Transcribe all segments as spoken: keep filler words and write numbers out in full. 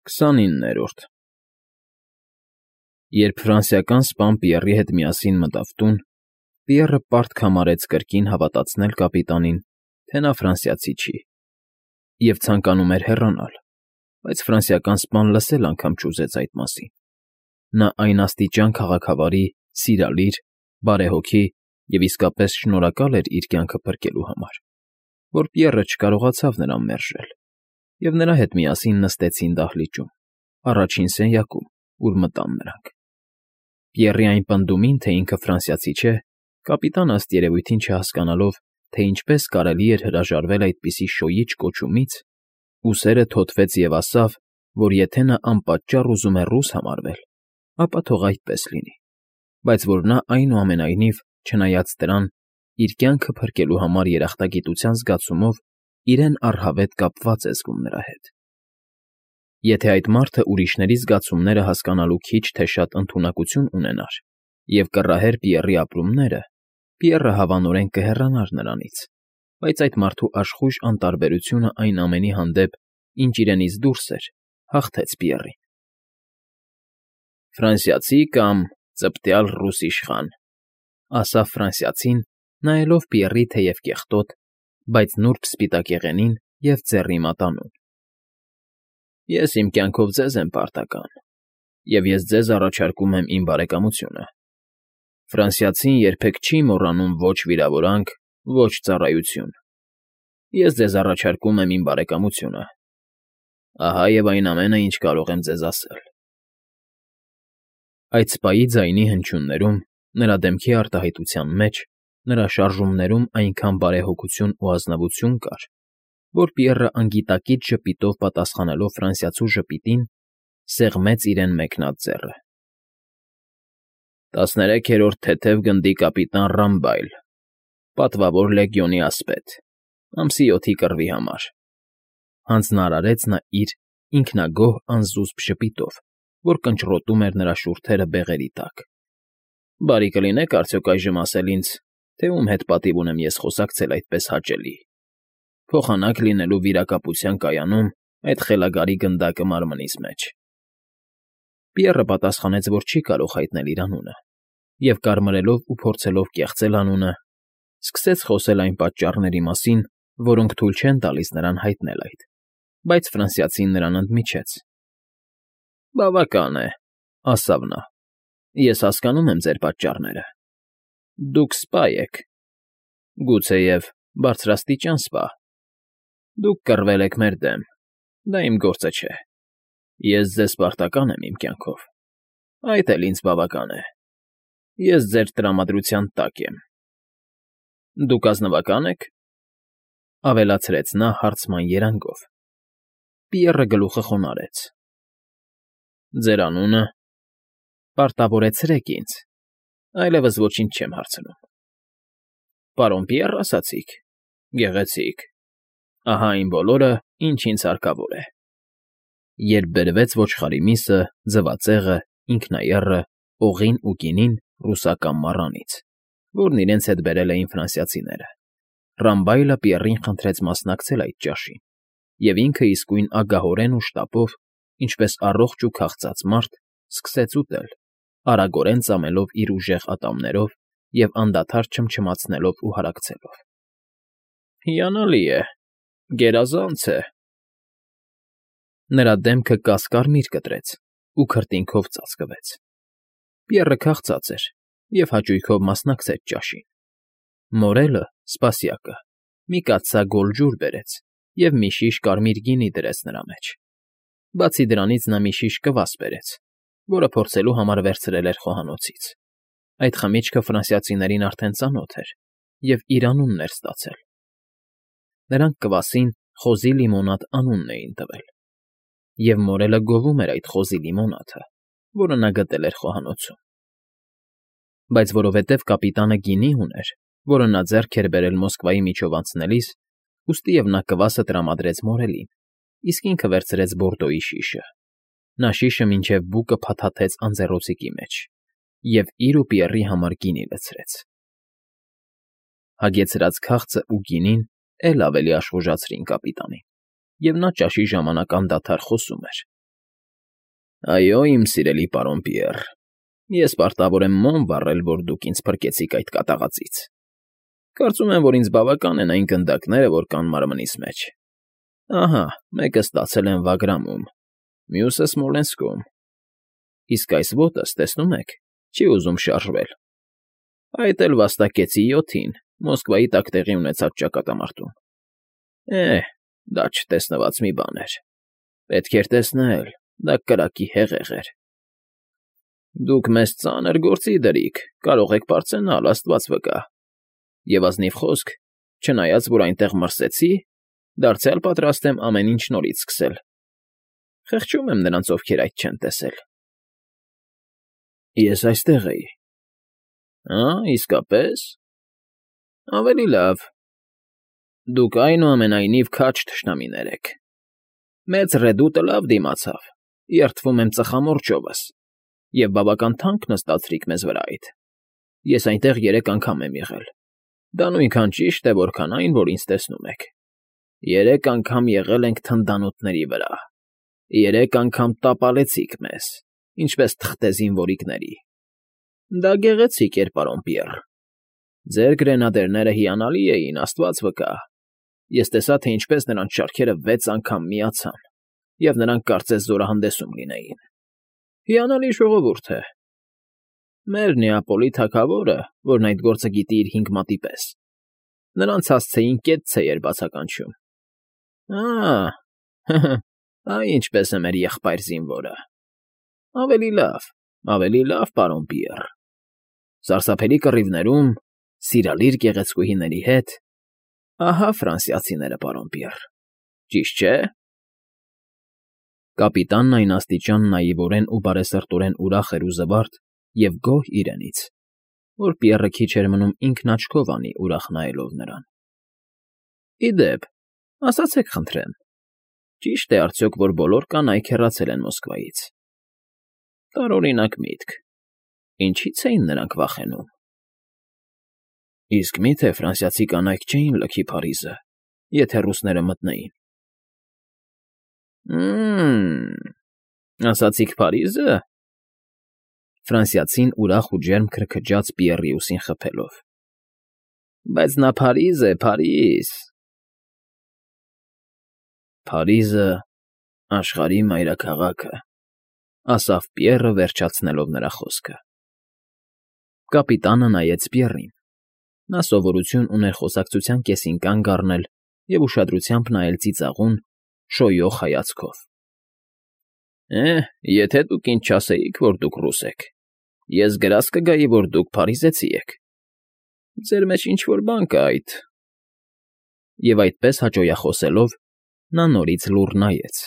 քսանիններորդ Երբ ֆրանսիական սպան Պիեռի հետ միասին մտավ տուն, Պիեռը պարտք համարեց կրկին հավատացնել կապիտանին, թե նա ֆրանսիացի չի, և ցանկանում էր հեռանալ, բայց ֆրանսիական սպան լսել անգամ չուզեց այդ մասին. նա այն աստիճան քաղաքավարի, սիրալիր, բարեհոգի և իսկապես շնորհակալ էր իր կյանքը փրկելու համար, որ Պիեռը չկարողացավ նրան մերժել, և նրա հետ միասին նստեցին դահլիճում, առաջին սենյակում, ուր մտան նրանք. Պիեռի այն պնդումին, թե ինքը ֆրանսիացի չէ, կապիտանը ըստ երևույթին չհասկանալով, թե ինչպես կարելի էր հրաժարվել այդպիսի շոյիչ կոչումից, ուսերը թոթվեց և ասավ, որ եթե նա անպատճառ ուզում է ռուս համարվել, ապա թող այդպես լինի, բայց որ նա, այնուամենայնիվ, չնայած դրան, իր կյանքը փրկելու համար երախտագիտության զգացումով իրեն առհավետ կապված է զգում նրա հետ։ Եթե այդ մարդը ուրիշների զգացումները հասկանալու քիչ թե շատ ընդունակություն ունենար և կռահեր Պիեռի ապրումները, Պիեռը հավանորեն կհեռանար նրանից, բայց այդ մարդու աշխույժ անտարբերությունը այն ամենի հանդեպ, ինչ իրենից դուրս էր, հաղթեց Պիեռին։ «Ֆրանսիացի կամ ծպտյալ ռուս իշխան,֊ ասաց ֆրանսիացին, նայելով Պիեռի թեև կեղտոտ, բայց նուրբ սպիտակեղենին և ձեռի մատանուն,֊ ես իմ կյանքով ձեզ եմ պարտական, և ես ձեզ առաջարկում եմ իմ բարեկամությունը։ Ֆրանսիացին երբեք չի մոռանում ոչ վիրավորանք, ոչ ծառայություն։ Ես ձեզ առաջարկում եմ իմ բարեկամությունը։ Ահա և այն ամենը, ինչ կարող եմ ձեզ ասել»։ Այդ սպայի ձայնի հնչյուններում, նրա դեմքի արտահայտության մեջ, նրա շարժումներում այնքան բարեհոգություն ու ազնվություն կար, որ Պիեռը անգիտակից ժպիտով պատասխանելով ֆրանսիացու ժպիտին, սեղմեց իրեն մեկնած ձեռը։ «Տասներեքերորդ թեթև գնդի կապիտան Ռամբայլ, պատվավոր լեգիոնի ասպետ, ամսի յոթի կռվի համար,֊ հանձնարարեց նա իր ինքնագոհ անզուսպ ժպիտով, որ կնճռոտում էր նրա շուրթերը բեղերի տակ։ Բարի կլինեք արդյոք այժմ ասել ինձ, թե ում հետ պատիվ ունեմ ես խոսակցել այդպես հաճելի, փոխանակ լինելու վիրակապության կայանում այդ խելագարի գնդակը մարմնիս մեջ»։ Պիեռը պատասխանեց, որ չի կարող հայտնել իր անունը, և կարմրելով ու փորձելով կեղծել անունը, սկսեց խոսել այն պատճառների մասին, որոնք թույլ չեն տալիս նրան հայտնել այդ, բայց ֆրանսիացին նրան ընդմիջեց։ «Բավական է,֊ ասավ նա,֊ ես հասկանում եմ ձեր պատճառները։ Դուք սպա եք, գուցեև բարձրաստիճան սպա։ Դուք կռվել եք մեր դեմ, դա իմ գործը չէ։ Ես ձեզ պարտական եմ իմ կյանքով, այդ էլ ինձ բավական է։ Ես ձեր տրամադրության տակ եմ։ Դուք ազնվակա՞ն եք,֊ ավելացրեց նա հարցման երանգով։ Պիեռը գլուխը խոնարհեց։ «Ձեր անունը…֊ Պարտավորեցրեք ինձ, այլևս ոչինչ չեմ հարցնում»։ «Պարոն Պիեռ ասացիք, գեղեցիկ, ահա այն բոլորը, ինչ ինձ հարկավոր է», երբ բերվեց ոչխարի միսը, ձվածեղը, ինքնաեռը, օղին ու գինին ռուսական մառանից, որն իրենց հետ բերել էին ֆրանսիացիները, Ռամբայլը Պիեռին խնդրեց մասնակցել այդ ճաշին, և ինքը իսկույն ագահորեն ու շտապով, ինչպես առողջ ու քաղցած մարդ, սկսեց ուտել, արագորեն ծամելով իր ուժեղ ատամներով և անդադար չմչմացնելով ու հարակցելով։ «Հիանալի է, գերազանց է…»։ Նրա դեմքը կաս֊կարմիր կտրեց ու քրտինքով ծածկվեց։ Պիեռը քաղցած էր և հաճույքով մասնակցեց ճաշին։ Մորելը՝ սպասյակը, մի կաթսա գոլ ջուր բերեց և մի շիշ կարմիր գինի դրեց նրա մեջ։ Բացի դրանից նա մի շիշ կվաս բերեց, որը փորձելու համար վերցրել էր խոհանոցից։ Այդ խմիչքը ֆրանսիացիներին արդեն ծանոթ էր և իր անունն էր ստացել։ Նրանք կվասին խոզի լիմոնադ անունն էին տվել, և մորելը գովում էր այդ խոզի լիմոնադը, որը նա գտել էր խոհանոցում։ Բայց որովհետև կապիտանը գինի ուներ, որը նա ձեռք էր բերել Մոսկվայի միջով անցնելիս, ուստիև նա կվասը տրամադրեց մորելին, իսկ ինքը վերցրեց Բորդոյի շիշը։ Նա շիշը մինչև բուկը փաթաթեց անձեռոցիկի մեջ և իր ու Պիեռի համար գինի լցրեց։ Հագեցրած քաղցն ու գինին էլ ավելի աշխուժացրին կապիտանին, և նա ճաշի ժամանակ անդադար խոսում էր, Այո, իմ սիրելի պարոն Պիեռ, ես պարտավոր եմ մոմ վառել, որ դուք ինձ փրկեցիք այդ կատաղածից։ Կարծում եմ, որ ինձ բավական են այն գնդակները, որ կան մարմնիս մեջ։ Ահա, մեկը ստացել եմ Վագրամում, մյուսը Սմոլենսկում։ Իսկ այս ոտս, տեսնում եք, չի ուզում շարժվել։ Այդ էլ վաստակեցի յոթին Մոսկվայի տակ տեղի ունեցած ճակատամարտում։ Է՜, դա չտեսնված մի բան էր։ Պետք էր տեսնել, դա կրակի հեղեղ էր։ Դուք մեզ ծանր գործի դրիք, կարող եք պարծենալ, աստված վկա։ Եվ ազնիվ խոսք, չնայած որ այնտեղ մրսեցի, դարձյալ պատրաստ եմ ամեն ինչ նորից սկսել։ Խեղճում եմ նրանց, ովքեր այդ չեն տեսել։ Ես այստեղ էի։ Ա, իսկապես։ Ավելի լավ։ Դուք այնուամենայնիվ քաջ թշնամիներ եք։ Մեծ ռեդուտը լավ դիմացավ, երդվում եմ ծխամորճովս, և բավական թանկ նստացրիք մեզ վրայդ։ Ես այնտեղ երեք անգամ եմ եղել։ Դա նույնքան ճիշտ է, որքան այն, որ ինձ տեսնում եք։ Երեք անգամ եղել ենք թնդանոթների վրա։ Երեք անգամ տապալեցիք մեզ, ինչպես թղթեզին որիկների։ Դա գեղեցիկ էր, պարոն Պիեռ։ Ձեր գրենադերները հիանալի էին, աստված վկա։ Ես տեսա, թե ինչպես նրանց շարքերը վեց անգամ միացան, և նրանք կարծես զորահանդեսում լինեին։ Հիանալի ժողովուրդ է։ Մեր Նեապոլի թագավորը, որն այդ գործը գիտի իր հինգ մատի պես, նրանց հասցեին կեցցե էր բացականչում։ Ա՜, այ ինչպես է մեր եղբայր զինվորը։ Ավելի լավ, ավելի լավ, պարոն Պիեռ։ Սարսափելի կռիվներում, սիրալիր գեղեցկուհիների հետ, ահա ֆրանսիացիները, պարոն Պիեռ, ճիշտ չէ՞։ Կապիտանն այն աստիճան նաիվորեն ու բարեսրտորեն ուրախ էր ու զվարթ և գոհ իրենից, որ Պիեռը քիչ էր մնում ինքն աչքով անի, ուրախ նայելով նրան։ Ի դեպ, ասացեք խնդրեմ, ճի՞շտ է արդյոք, որ բոլոր կանայք հեռացել են Մոսկվայից։ Տարօրինակ միտք։ Ինչի՞ց էին նրանք վախենում։ Իսկ մի՞թե ֆրանսիացի կանայք չէին լքի Փարիզը, եթե ռուսները մտնեին։ Մմ, ասացիք Փարիզը։ Ֆրանսիացին ուրախ ու ջերմ քրքջաց Պիեռի ուսին խփելով։ Բայց նա Փարիզ է, Փարիզ։ Փարիզը աշխարհի մայրաքաղաքը, ասավ Պիեռը, վերջացնելով նրա խոսքը։ Կապիտանը նայեց Պիեռին։ Նա սովորություն ուներ խոսակցության կեսին կանգ առնել և ուշադրությամբ նայել ծիծաղուն, շոյող հայացքով։ Է, եթե դուք ինձ չասեիք, որ դուք ռուս եք, ես գրազ կգայի, որ դուք փարիզեցի եք։ Ձեր մեջ ինչ֊որ բան կա այդ։ Եվ այդպես հաճոյախոսելով, նա նորից լուռ նայեց։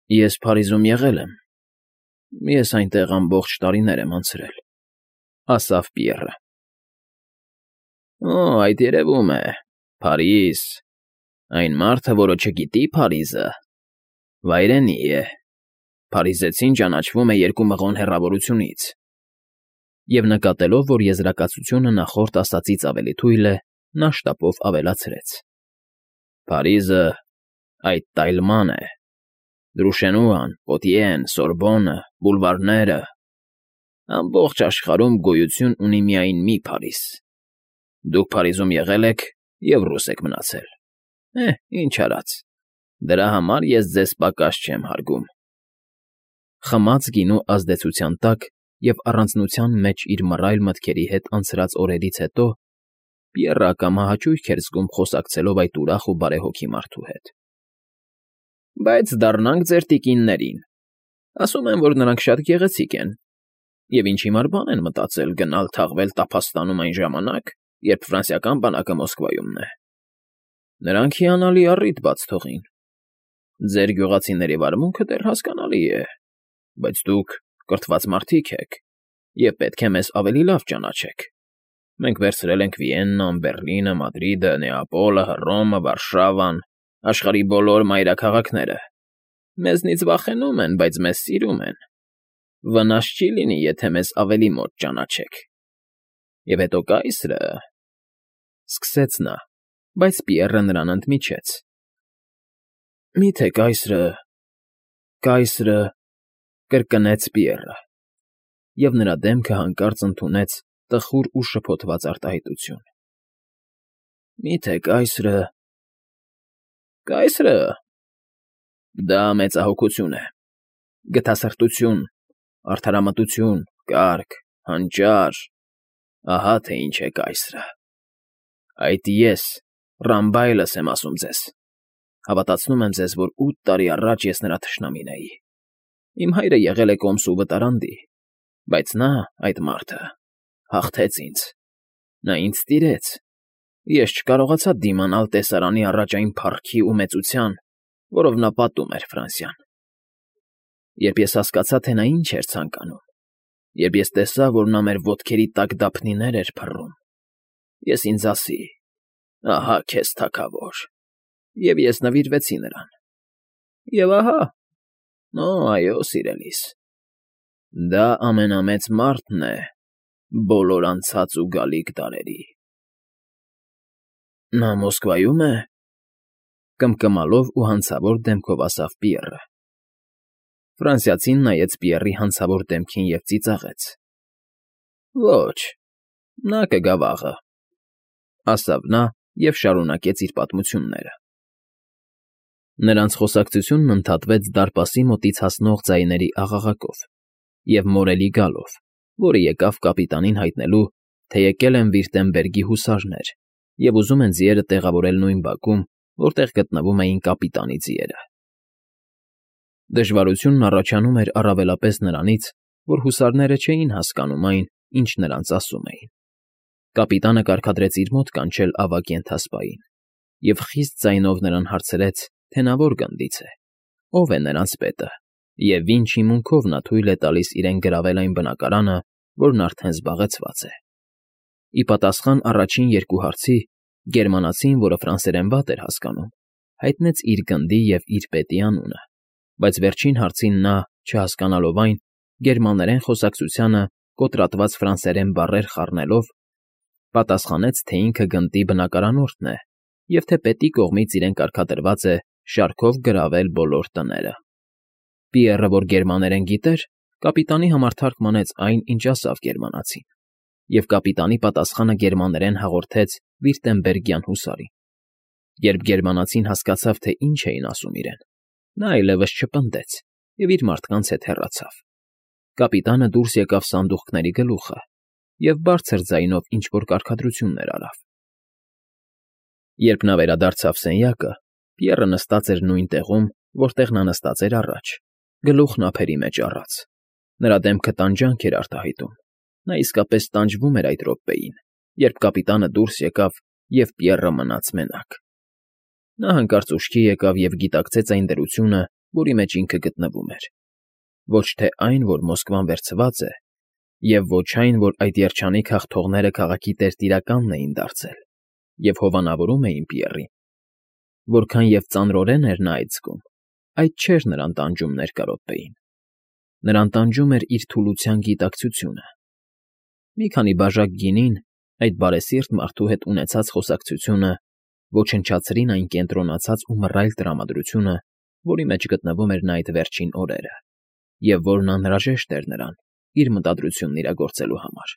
Ես Փարիզում եղել եմ։ Ես այնտեղ ամբողջ տարիներ եմ անցրել, ասավ Պիեռը։ Օ, այդ երևում է, Փարիզ, այն մարդը, որը չգիտի Փարիզը, վայրենի է, Փարիզեցին ճանաչվում է երկու մղոն հեռավորությունից։ Եվ նկատելով, որ եզրակացությունը նախորդ ասածից ավելի թույլ է, նա շտապով ավելացրեց. Փարիզը այդ տայլման է, Դրուշենուան, Պոտիեն, Սորբոնը, բուլվարները, ամբողջ աշխարհում գոյություն ունի միայն մի Փարիզ։ Դուք Փարիզում եղել եք և ռուս եք մնացել։ Է, ինչ արած, դրա համար ես ձեզ պակաս չեմ հարգում։ Խմած գինու ազդեցության տակ և առանձնության մեջ իր մռայլ մտքերի հետ անցրած օրերից հետո Պիեռը ակամա հաճույք էր զգում խոսակցելով այդ ուրախ ու բարեհոգի մարդու հետ։ Բայց դառնանք ձեր տիկիններին։ Ասում են, որ նրանք շատ գեղեցիկ են, և ինչ հիմար բան են մտածել գնալ թաղվել Տափաստանում այն ժամանակ, երբ ֆրանսիական բանակը Մոսկվայումն է։ Նրանք հիանալի առիթ բաց թողին։ Ձեր գյուղացիների վարմունքը դեռ հասկանալի է, բայց դուք կրթված մարդիկ եք, և պետք է մեզ ավելի լավ ճանաչեք։ Մենք վերցրել ենք Վիեննան, Բեռլինը, Մադրիդը, Նեապոլը, Հռոմը, Վարշավան, աշխարհի բոլոր մայրաքաղաքները։ Մեզնից վախենում են, բայց մեզ սիրում են։ Վնաս չի լինի, եթե մեզ ավելի մոտ ճանաչեք։ Եվ հետո կայսրը… Սկսեց նա, բայց Պիեռը նրան ընդմիջեց. Մի՞թե կայսրը… Կայսրը… Կրկնեց Պիեռը, և նրա դեմքը հանկարծ ընդունեց տխուր ու շփոթված արտահայտություն։ ֊ Մի՞թե կայսրը… ֊ Կայսրը… Դա մեծահոգություն է, գթասրտություն, արդարամտություն, կարգ, հանճար… Ահա թե ինչ է կայսրը… Այդ ես, Ռամբայլս եմ ասում ձեզ… Հավատացնում եմ ձեզ, որ ութ տարի առաջ ես նրա թշնամին էի… Իմ հայրը եղել է կոմսու վտարանդի, բայց նա, այդ մարդը, հաղթեց ինձ… Նա ինձ տիրեց… Ես չկարողացա դիմանալ տեսարանի առաջ այն փառքի ու մեծության, որով նա պատում էր Ֆրանսիան… Երբ ես հասկացա, թե նա ինչ էր ցանկանում, երբ ես տեսա, որ նա մեր ոտքերի տակ դափնիներ էր փռում, ես ինձ ասի. «Ահա քեզ թագավոր», և ես նվիրվեցի նրան… Եվ ահա… Օ, այո, սիրելիս… Դա ամենամեծ մարդն է բոլոր անցած ու գալիք դարերի… ֊ Նա Մոսկվայո՞ւմ է,֊ կմկմալով ու հանցավոր դեմքով ասավ Պիեռը։ Ֆրանսիացին նայեց Պիեռի հանցավոր դեմքին և ծիծաղեց։ ֊ Ոչ, նա կգա վաղը,֊ ասավ նա և շարունակեց իր պատմությունները։ Նրանց խոսակցությունն ընդհատվեց դարպասի մոտից հասնող ձայների աղաղակով և մորելի գալով, որը եկավ կապիտանին հայտնելու, թե եկել են Վիրտեմբերգի հուսարներ և ուզում են ձիերը տեղավորել նույն բակում, որտեղ գտնվում էին կապիտանի ձիերը։ Դժվարությունն առաջանում էր առավելապես նրանից, որ հուսարները չէին հասկանում այն, ինչ նրանց ասում էին։ Կապիտանը կարգադրեց իր մոտ կանչել ավագ ենթասպային և խիստ ձայնով նրան հարցրեց, թե նա որ գնդից է, ով է նրանց պետը և ինչ հիմունքով նա թույլ է տալիս իրեն գրավել այն բնակարանը, որն արդեն զբաղեցված է։ Ի պատասխան առաջին երկու հարցի, գերմանացին, որը ֆրանսերեն վատ էր հասկանում, հայտնեց իր գնդի և իր պետի անունը, բայց վերջին հարցին նա, չհասկանալով այն, գերմաներեն խոսակցությանը կոտրատված ֆրանսերեն բառեր խառնելով, պատասխանեց, թե ինքը գնդի բնակարանորդն է և թե պետի կողմից իրեն կարգադրված է շարքով գրավել բոլոր տները։ Պիեռը, որ գերմաներեն գիտեր, կապիտանի համար թարգմանեց այն, ինչ ասավ գերմանացին, և կապիտանի պատասխանը գերմաներեն հաղորդեց վիրտեմբերգյան հուսարին։ Երբ գերմանացին հասկացավ, թե ինչ էին ասում իրեն, նա այլևս չպնդեց և իր մարդկանց հետ հեռացավ։ Կապիտանը դուրս եկավ սանդուղքների գլուխը և բարձր ձայնով ինչ֊որ կարգադրություններ արավ։ Երբ նա վերադարձավ սենյակը, Պիեռը նստած էր նույն տեղում, որտեղ նա նստած էր առաջ, գլուխն ափերի մեջ առած։ Նրա դեմքը տանջանք էր արտահայտում։ Նա իսկապես տանջվում էր այդ րոպեին, երբ կապիտանը դուրս եկավ, և Պիեռը մնաց մենակ։ Նա հանկարծ ուշքի եկավ և գիտակցեց այն դրությունը, որի մեջ ինքը գտնվում էր։ Ոչ թե այն, որ Մոսկվան վերցված է, և ոչ այն, որ այդ երջանիկ հաղթողները քաղաքի տերտիրականն էին դարձել և հովանավորում էին Պիեռին։ Որքան և ծանրորեն էր նա այդ զգում, այդ չէր նրան տանջում ներկա րոպեին։ Նրան տանջում էր իր թուլության գիտակցությունը։ Մի քանի բաժակ գինին, այդ բարեսիրտ մարդու հետ ունեցած խոսակցությունը ոչնչացրին այն կենտրոնացած ու մռայլ տրամադրությունը, որի մեջ գտնվում էր նա այդ վերջին օրերը, և որն անհրաժեշտ էր նրան իր մտադրությունն իրագործելու համար։